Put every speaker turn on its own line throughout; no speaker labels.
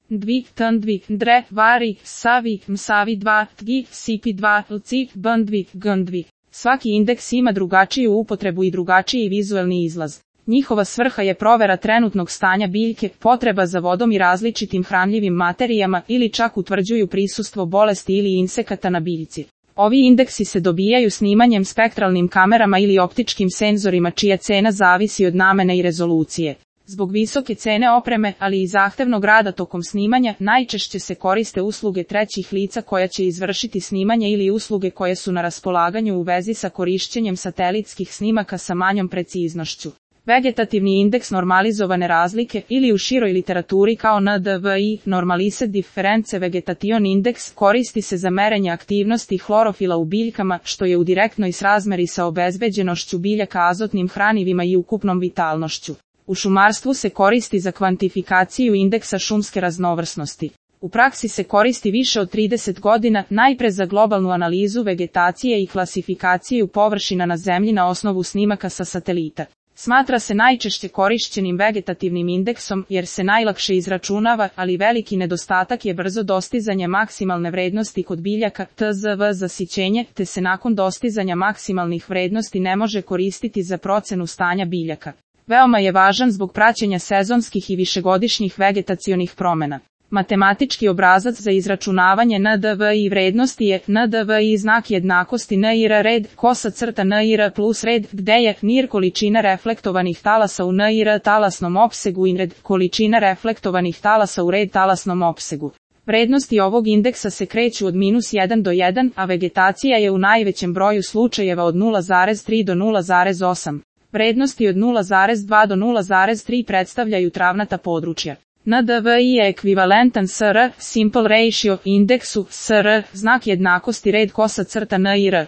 Dvig, tndvig, dre, vari, savi, msavi 2, tgi, sipi 2, lci, bndvig, gndvig. Svaki indeks ima drugačiju upotrebu i drugačiji vizuelni izlaz. Njihova svrha je provera trenutnog stanja biljke, potreba za vodom i različitim hranljivim materijama ili čak utvrđuju prisustvo bolesti ili insekata na biljci. Ovi indeksi se dobijaju snimanjem spektralnim kamerama ili optičkim senzorima čija cena zavisi od namene i rezolucije. Zbog visoke cene opreme, ali i zahtevnog rada tokom snimanja, najčešće se koriste usluge trećih lica koja će izvršiti snimanje ili usluge koje su na raspolaganju u vezi sa korišćenjem satelitskih snimaka sa manjom preciznošću. Vegetativni indeks normalizovane razlike ili u široj literaturi kao NDVI, Normalized Difference Vegetation Index, koristi se za merenje aktivnosti hlorofila u biljkama, što je u direktnoj srazmeri sa obezbeđenošću biljaka azotnim hranivima i ukupnom vitalnošću. U šumarstvu se koristi za kvantifikaciju indeksa šumske raznovrsnosti. U praksi se koristi više od 30 godina, najpre za globalnu analizu vegetacije i klasifikaciju površina na zemlji na osnovu snimaka sa satelita. Smatra se najčešće korišćenim vegetativnim indeksom jer se najlakše izračunava, ali veliki nedostatak je brzo dostizanje maksimalne vrednosti kod biljaka TZV zasićenje, te se nakon dostizanja maksimalnih vrednosti ne može koristiti za procenu stanja biljaka. Veoma je važan zbog praćenja sezonskih i višegodišnjih vegetacionih promjena. Matematički obrazac za izračunavanje NDVI vrednosti je NDVI znak jednakosti NIR red, kosa crta NIR plus red, gde je NIR količina reflektovanih talasa u NIR talasnom opsegu i red količina reflektovanih talasa u red talasnom opsegu. Vrednosti ovog indeksa se kreću od -1 do 1, a vegetacija je u najvećem broju slučajeva od 0,3 do 0,8. Vrednosti od 0,2 do 0,3 predstavljaju travnata područja. NDVI je ekvivalentan SR, Simple Ratio, indeksu, SR, znak jednakosti red kosa crta NIR.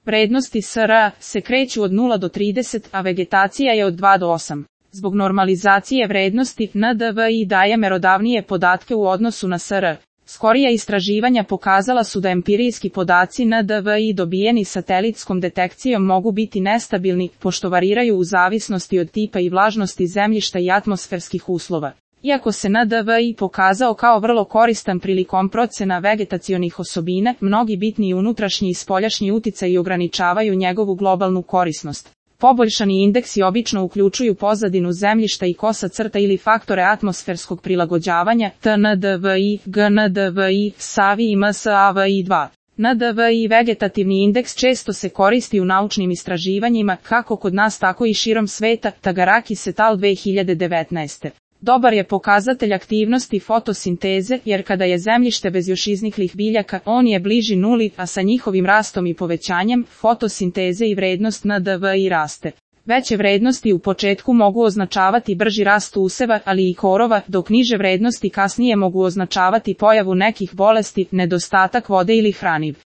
Vrednosti SR se kreću od 0 do 30, a vegetacija je od 2 do 8. Zbog normalizacije vrednosti, NDVI daje merodavnije podatke u odnosu na SR. Skorija istraživanja pokazala su da empirijski podaci NDVI dobijeni satelitskom detekcijom mogu biti nestabilni, pošto variraju u zavisnosti od tipa i vlažnosti zemljišta i atmosferskih uslova. Iako se NDVI pokazao kao vrlo koristan prilikom procena vegetacionih osobina, mnogi bitni unutrašnji i spoljašnji uticaji ograničavaju njegovu globalnu korisnost. Poboljšani indeksi obično uključuju pozadinu zemljišta i kosa crta ili faktore atmosferskog prilagođavanja, TNDVI, GNDVI, SAVI i MSAVI2. NDVI vegetativni indeks često se koristi u naučnim istraživanjima, kako kod nas tako i širom sveta, Tagarakis et al. 2019. Dobar je pokazatelj aktivnosti fotosinteze, jer kada je zemljište bez još izniklih biljaka, on je bliži nuli, a sa njihovim rastom i povećanjem, fotosinteze i vrednost NDVI raste. Veće vrednosti u početku mogu označavati brži rast useva, ali i korova, dok niže vrednosti kasnije mogu označavati pojavu nekih bolesti, nedostatak vode ili hraniv.